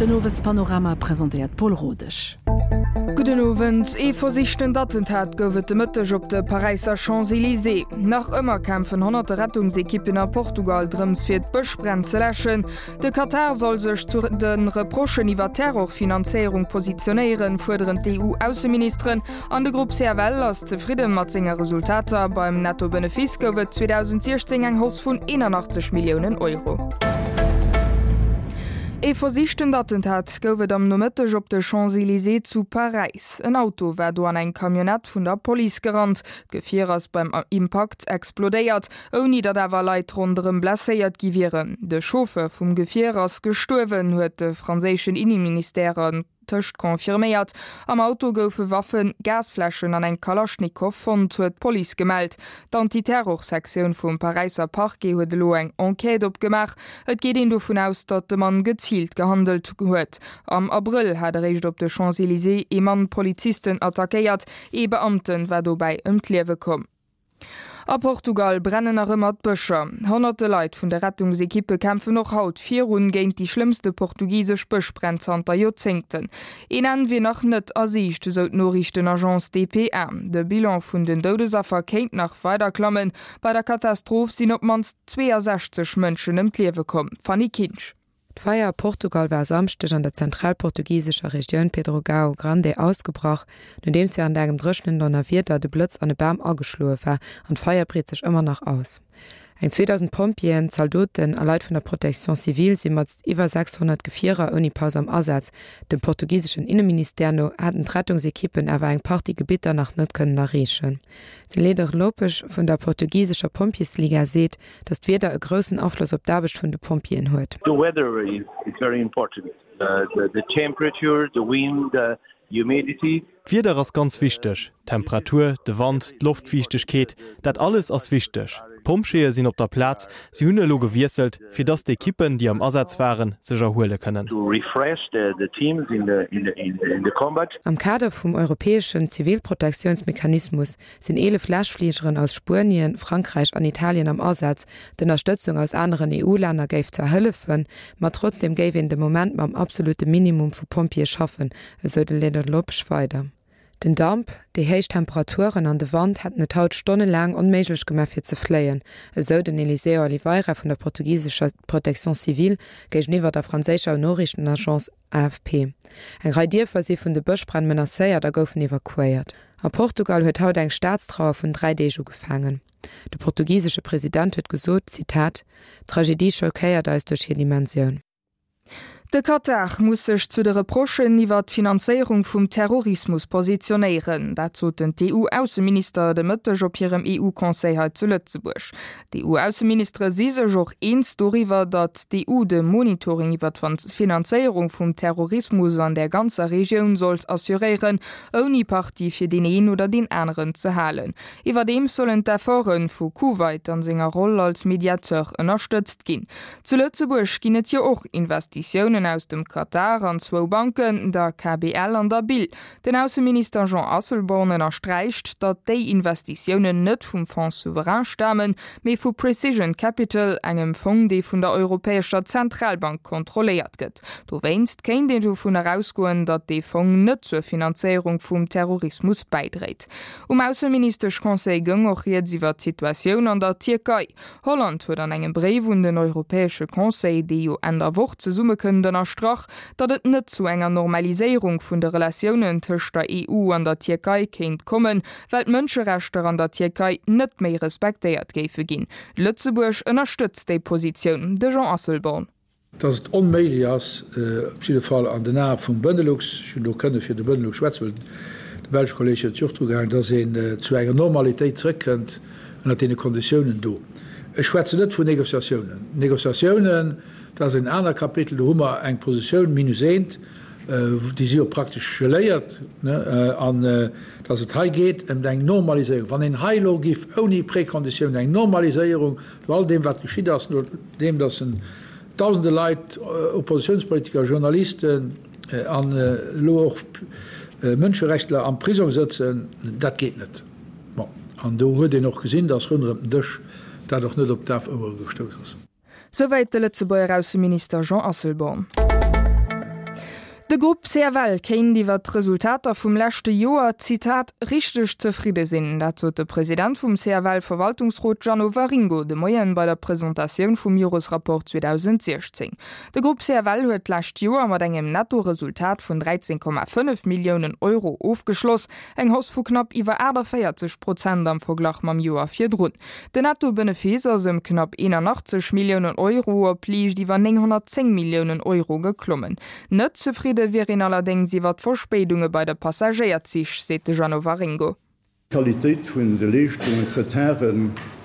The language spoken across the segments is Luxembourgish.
Den Owespanorama presentéiert d'Paul Rodesch. Gudden Owend. Ee versichtent Attentat gouf et de Mëtteg op de Paräisser Champs-Elysées. Nach ëmmer kämpfen honnerte Rettungsekippen a Portugal drëms fir d'Bëschbränn ze läschen. De Katar soll sech zu de Reprochen iwwer Terrorfinanzéierung positionéieren, fuerderen d'EU-Ausseministeren. An de Grupp CFL ass zefridde mat senge Resultater. Beim Netto-Benefice gouf et 2016 eng Hausse vun 81 Milliounen Euro. Ee versichtent Attentat gouf et am Nomëtteg op de Champs-Elysées zu Paräis. En Auto war do an eng Camionnette vun der Police gerannt. D'Gefier ass beim Impakt explodéiert, ouni datt awer Leit ronderëm blesséiert gi wieren. De Chauffeur vum Gefier ass gestuerwen, huet de franséischen Inneministère tëscht confirméiert. Am Auto goufe Waffen, Gasfläschen an eng Kalaschnikow fonnt, huet d'Police gemellt. D'Antiterrorsektioun vum Paräisser Parquet huet elo eng Enquête opgemaach. Et geet een dovun aus, datt de Mann geziilt gehandelt huet. Am Abrëll hat eréischt op de Champs-Elysées ee Mann Polizisten attackéiert. Ee Beamte war dobäi ëm d'Liewe komm. A Portugal brennen nach ëmmer d'Bëscher. Honnerte Leit vun de Rettungsekippe kämpfen och haut virun géint déi schlëmmste portugisesch Bëschbränn zanter Joerzéngten. Een Enn wier nach net a Siicht, esou d'Noriichtenagence dpa. De Bilan vun den Doudesaffer kéint nach weider klammen. Bei der Katastroph sinn op d'mannst 62 Mënschen ëm d'Liewe komm. Fanny Kinsch. D'Feier a Portugal war e Samschdeg an der zentralportugisescher Regioun Pedrógão Grande ausgebrach, nodeems wärend engem dréchenen Donnerwieder de Blëtz an e Bam ageschloe war an d'Feier breet sech ëmmer nach aus. Eng 2.000 Pompjeeën, Zaldoten a Leit vun der Protection civile si mat iwwer 600 Gefierer ouni Paus am Asaz. Dem portugiseschen Inneministère no hätten d'Rettungsekippen awer eng Partie Gebitter nach net kënnen erreechen. De Leder Lopes vun der portugisescher Pompjeesliga seet, datt d'Wieder e groussen Afloss op d'Aarbecht vun de Pompjeeën huet. The weather is very important, the temperature, the wind, the humidity. D'Wieder ass ganz wichteg, d'Temperatur, de Wand, d'Loftfiichtegkeet, dat alles ass wichteg. D'Pompjeeë sinn op der Plaz, si hunn elo gewiesselt, fir datt d'Ekippen, déi am Asaz waren, sech erhuele kënnen. Am Kader vum europäeschen Zivilprotektiounsmechanismus sinn 11 Läschfligeren aus Spuenien, Frankräich an Italien am Asaz. D'Ënnerstëtzung aus aneren EU-Länner géif zwar hëllefen, ma trotzdeem géif een de Moment mam absolute Minimum vu Pompjeeë schaffen, esou de Leonard Lopes weider. Den Damp, déi héich Temperaturen an de Wand hätten et haut stonnelaang onméiglech gemaach fir ze fléien, esou den Eliseu Oliveira vun der portugisescher Protection civile géigeniwwer der franséischer Noriichtenagence AFP. Eng Rei Dierfer si vun de Bëschbränn menacéiert a goufen evakuéiert. A Portugal huet haut eng Staatstrauer vun 3 Deeg ugefaangen. De portugisesche President huet gesot, Zitat, D'Tragedie schockéiert eis duerch hir Dimensioun. De Katar muss sech zu de Reprochen iwwer d'Finanzéierung vum Terrorismus positionéieren. Dat soten d'EU-Ausseminister de Mëtteg op hirem EU-Conseil hei zu Lëtzebuerg. D'EU-Ausseministere si sech och eens doriwwer, datt d'EU de Monitoring iwwer d'Finanzéierung vum Terrorismus an där ganzer Regioun sollt assuréieren, ouni Parti fir deen een oder deen aneren ze halen. Iwwerdeems sollen d'Efforte vu Kuwait an senger Roll als Mediateur ënnerstëtzt ginn. Zu Lëtzebuerg ginn et jo och Investitiounen aus dem Katar an zwou Banken, der KBL an der bil. Den Ausseminister Jean Asselborn ënnersträicht, datt déi Investitiounen net vum Fonds souverain stamen, mee vu Precision Capital, engem Fong, dee vun der Europäescher Zentralbank kontrolléiert gëtt. Dowéinst kéint een dovunner ausgoen, datt dee Fong net zur Finanzéierung vum Terrorismus bäidréit. Um Ausseministesch-Conseil goung och rieds iwwer d'Situatioun an der Tierkei. Holland huet an engem Bréif un den Europäesche Conseil, dee jo Enn der Woch zesummekënnt, ënnerstrach, datt et net zu enger Normaliséierung vun de Relatiounen tëscht der EU an der Tierkei kéint kommen, well d'Mënscherechter an der Tierkei net méi respektéiert géife ginn. Lëtzebuerg ënnerstëtzt déi Positioun. De Jean Asselborn. Dass et onméiglech ass, op jidde Fall an den Ae vum Benelux, ech hunn do kënne fir de Benelux schwätzen, well de belsche Kolleg huet sech och dru gehaangen, dass een zu enger Normalitéit zrëckkënnt ënnert deene Konditiounen do. Ech schwätzen net vun Négociatiounen. Négociatiounen, dat ass en anert Kapitel, do hu mer eng Positioun minus eent, déi si jo praktesch geléiert, an dass et hei geet ëm eng Normaliséierung. Wann een hei elo giff ouni Prékonditioun eng Normaliséierung, No all deem wat geschitt ass, no deem datt en dausende Leit, Oppositiounspolitiker, Journalisten an elo och Mënscherechtler am Prisong sëtzen, dat geet net. Bon, an do huet een och gesinn, datt ronderëm den Dësch dat och net op daf Ouere gestouss ass. Souwäit de Lëtzebuerger Ausseminister Jean Asselborn. De Grupp CFL kéint iwwer d'Resultater vum leschte Joer, Zitat, richteg zefridde sinn. Dat sot de President vum CFL-Verwaltungsrot Jeannot Waringo de Moien bei der Presentatioun vum Joresrapport 2016. De Grupp CFL huet d'lescht Joer mat engem Nettoresultat vun 13,5 Milliounen Euro ofgeschloss, eng Hausse vu knapp iwwer 48 Prozent am Verglach mam Joer virdrun. Den Netto-Benefice ass ëm knapp 81 Milliounen Euro op liicht iwwer 910 Milliounen Euro geklommen. Net zefridde wier een allerdéngs iwwer d'Verspéidunge bei de Passagéierzich, seet de Jeannot Waringo. D'Qualitéit vun de Leeschtungen, d'Retarde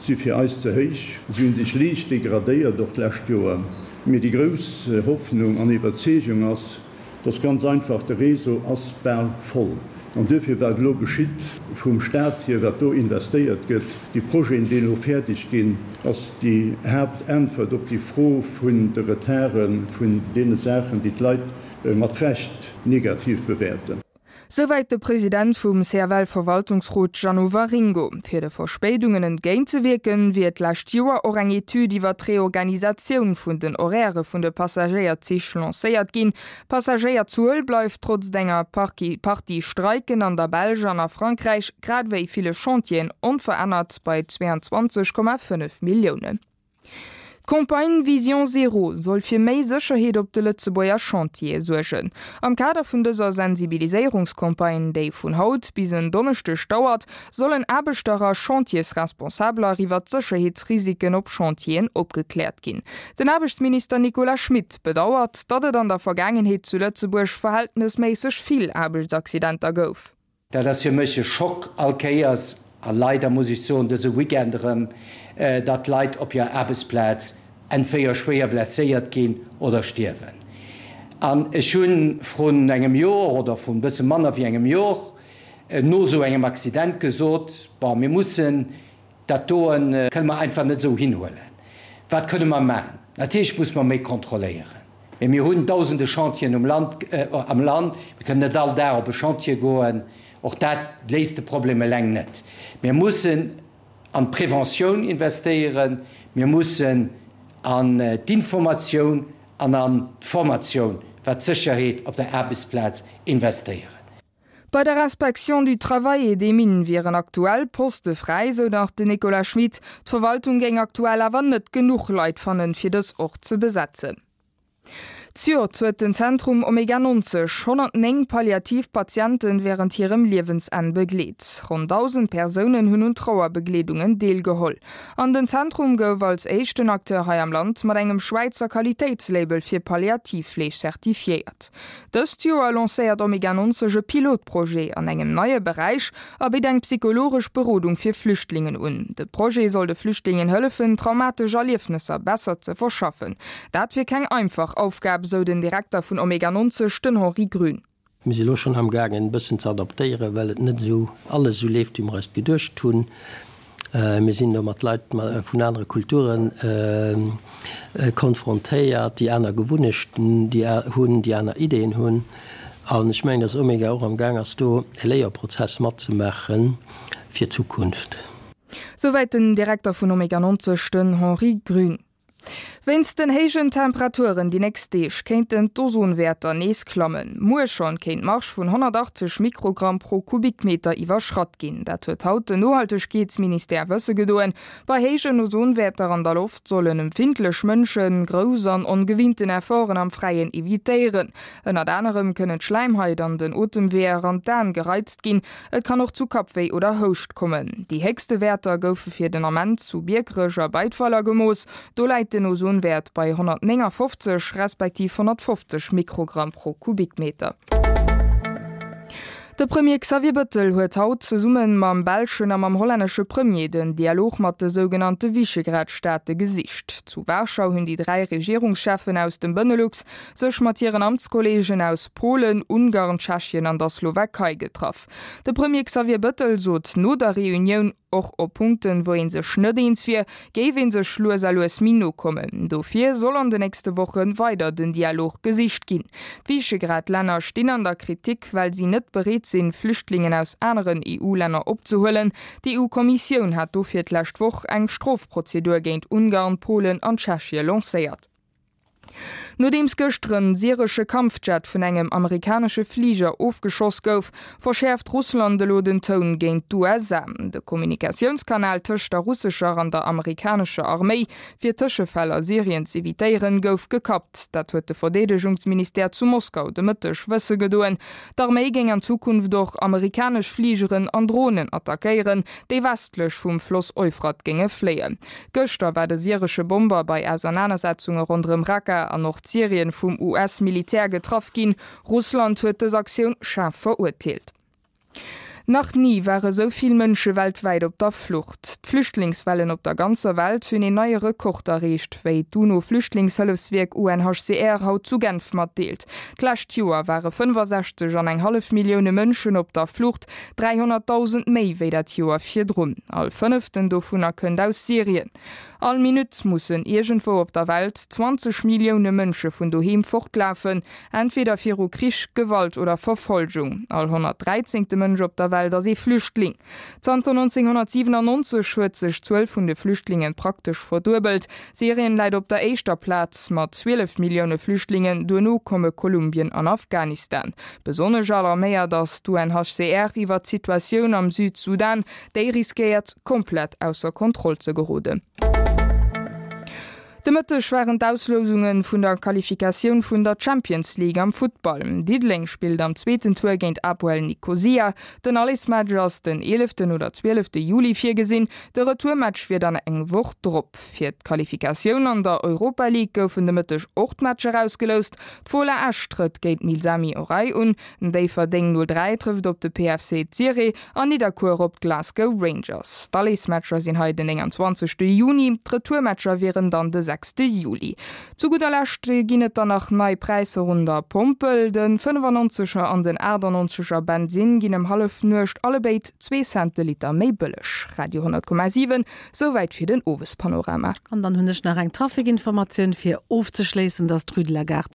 si fir eis ze héich. Si hu sech liicht degradéiert, och d'lescht Joer. Mee déi grouss Hoffnung an Iwwerzeegung ass, Dass ganz einfach, de Réseau ass bal voll. An duerfir, wat elo geschitt vum Stat hier, wat do investéiert gëtt, déi Projeten, déi elo fäerdeg ginn, ass déi Haaptäntwert op déi Fro vun de Retarden, vun deene Saachen, déi d'Leit mat Recht negativ bewäerten. Souwäit de President vum CFL-Verwaltungsrot Jeannot Waringo. Fir de Verspéidungen entgéintzewierken, wier d'lescht Joer och eng Etüd iwwer d'Reorganisatioun vun den Horairë vun de Passagéierzich lancéiert ginn. D'Passagéierzuel bleift trotz enger Partie Streiken an der Belsch an a Frankräich, grad ewéi ville Chantieren, onverännert bei 22,5 Milliounen. D'Campagne Vision Zéro soll fir méi Sécherheet op de Lëtzebuerger Chantiere suergen. Am Kader vun dëser Sensibiliséierungscampagne, déi vun haut bis en Donneschdeg dauert, sollen Aarbechter a Chantiersresponsabeler iwwer d'Sécherheetsrisiken op Chantieren opgekläert ginn. Den Aarbechtsminister Nicolas Schmit bedauert, datt et an der Vergaangenheet zu Lëtzebuerg verhältnesméisseg vill Aarbechtsaccidenter gouf. Dat ass fir mech e Schock all Kéiers, a leider muss ech soen dëse Weekend erëm, datt Leit op hir Aarbechtsplaz entwéier schwéier blesséiert ginn oder stierwen. An ech hu vrun engem Jor oder vrun e bësse manner wéi engem Jor no esou engem Accident gesot, Bon, mir mussen Dat doen kënne mer einfach net esou hinhuelen. Wat kënne mer maachen? Natierlech muss mer méi kontrolléieren. Mee mir hunn dausende Chantieren um Land, am Land. Mir kënnen net all Dag op e Chantier goen. Och dat léist de Problem eleng net. Mir mussen an d'Preventioun investéieren. Mir mussen an d'Informatioun an an d'Formatioun, wat d'Sécherheet op der Aarbechtsplaz, investéieren. Bei der Inspection du Travail et des Mines wieren aktuell Poste fräi, sou nach den Nicolas Schmit. D'Verwaltung géing aktuell awer net genuch Leit fannen, fir dës och ze besetzen. Zejoert huet den Zentrum Omega 90 109 palliativ Patienten wärend hirem Liewensenn begleet. Ronn 1.000 Persounen hunn un Trauerbegleedungen deelgeholl. An den Zentrum gouf als éischten Acteur hei am Land mat engem Schwäizer Qualitéitslabel fir Palliativfleeg zertifiéiert. Dëst Joer lancéiert Omega 90 e Pilotprojet an engem neie Beräich a bitt eng psychologesch Berodung fir Flüchtlingen un. De Projet soll de Flüchtlingen hëllefen, traumatesch Erliefnesser besser ze verschaffen. Dat wier keng einfach Aufgab, sou den Direkter vun Omega 90, den Henri Grün. Mir si lo schonn amgaangen, e bëssen ze adaptéieren, well et net esou alles esou leeft, wéi mer eis et geduecht hunn. Mir sinn do mat Leit vun anere Kulture konfrontéiert, déi aner Gewunnechten hunn, déi aner Ideeën hunn. An ech mengen, dass Omega och am Gaang ass, do e Léierprozess matzemaache fir d'Zukunft. Souwäit den Direkter vun Omega 90, den Henri Grün. Wéinst den héijen Temperaturen déi nächst Deeg kéinten d'Ozonwäerter nees klammen. Muer schonn kéint d'Marge vun 180 Mikrogramm pro Kubikmeter iwwerschratt ginn. Dat huet haut den Nohaltegkeetsministère wësse gedoen. Bei héijen Ozonwäerter an der Loft sollen empfindlech Mënsche grouss an ongewinnten Efforten am Fräien evitéieren. Ënnert anerem kënnen d'Schläimhait an den Otemweeër an d'Aen gereizt ginn. Et kann och zu Kappwéi oder Houscht kommen. Déi héchste Wäerter goufe fir den Ament zu Biekerech a Beidweiler gemooss. Do läit den Ozonwäert bei 159 respektiv 150 Mikrogramm pro Kubikmeter. De Premier Xavier Bëttel huet haut zesumme mam belschen a mam hollännesche Premier den Dialog mat de sougenannte Visegrad-Staate gesicht. Zu Warschau hunn déi 3 Regierungscheffen aus dem Benelux sech mat hiren Amtskolleegen aus Polen, Ungarn, Tschechien an der Slowakei getraff. De Premier Xavier Bëttel sot no der Reunioun, och op Punkten, wou ee sech net eens wier, géif ee sech lues a lues méi no kommen. Dofir soll an de nächste Woche weider den Dialog gesicht ginn. D'Visegrad-Länner stinn an der Kritik, well si net bereet sinn, Flüchtlingen aus aneren EU-Länner opzehuelen. D'EU-Kommissioun hat dofir d'lescht Woch eng Strofprozedur géint Ungarn, Polen an Tschechie lancéiert. Nodeems gëschter en syresche Kampfjet vun engem amerikanesche Fliger ofgeschoss gouf, verschäerft Russland elo den Toun géint d'USA. De Kommunikatiounskanal tëscht der russescher an der amerikanescher Arméi, fir Tëschefäll a Syrien z'evitéieren, gouf gekappt. Dat huet de Verdeedegungsministère zu Moskau de Mëtteg wësse gedoen. D'Arméi géing an Zukunft och amerikanesch Fligeren an Dronen attackéieren, déi westlech vum Floss Euphrat géinge fléien. Gëschter war de syresche Bomber bei Ausernanersetzunge ronderëm Raqqa an Nordsyrien vum US-Militär getraff ginn. Russland huet dës Aktioun schaarf verurteelt. Nach ni ware sou vill Mënsche weltwäit op der Flucht. D'Flüchtlingswellen op der ganzer Welt hunn een neie Rekord erreecht, wéi d'UNO-Flüchtlingshëllefswierk UNHCR haut zu Genf matdeelt. D'lescht Joer ware 65 an eng hallef Millioune Mënschen op der Flucht, 300.000 méi wéi dat Joer virdrun. All fënneften dovunner kënnt aus Syrien. All Minutt mussen iergendwou op der Welt 20 Millioune Mënsche vun doheem fortlafen, entweder viru Krich, Gewalt oder Verfolgung. All 113. Mënsch op der Welt ass ee Flüchtling. Zanter 1997 huet sech d'Zuel vun de Flüchtlinge praktesch verduebelt. Syrien läit op der éischter Plaz mat 12 Millioune Flüchtlingen, duerno komme Kolumbien an Afghanistan. Besonnesch alarméiert ass d'UNHCR iwwer d'Situatioun am Südsudan, Déi riskéiert komplett ausser Kontroll ze geroden. De Mëtteg waren d'Auslousunge vun der Qualifikatioun vun der Champions League am Futtball. Diddeleng spillt am zweeten Tour géint Apoel Nikosia. Den Allesmatch ass den eeleften oder zwielefte Juli virgesinn. De Retourmatch wier dann eng Woch drop. Fir d'Qualifikatioun an der Europa League goufen de Mëtteg och d'Matcher ausgeloust. D'Fola Esch trëtt géint Milsami Orhei un, Déifferdeng 03 trëfft op de PFC Ziré An Nidderkuer op d'Glasgow Rangers. D'Alleesmatcher sinn hei den 29 Juni, d'Retourmatcher wieren dann de 6 Juli. Zu gudder Lescht ginn et dann nach nei Präisser un der Pompel. De 95 er an den 98 er Bensinn ginn ëm Hallefnuecht allebéid zwee Cent de Liter méi bëlleg. Radio 10,7, Souwäit fir den Owespanorama. An dann hunn ech nach eng Trafikinformatioun fir ofzeschléissen, dass d'Rue de la Gare.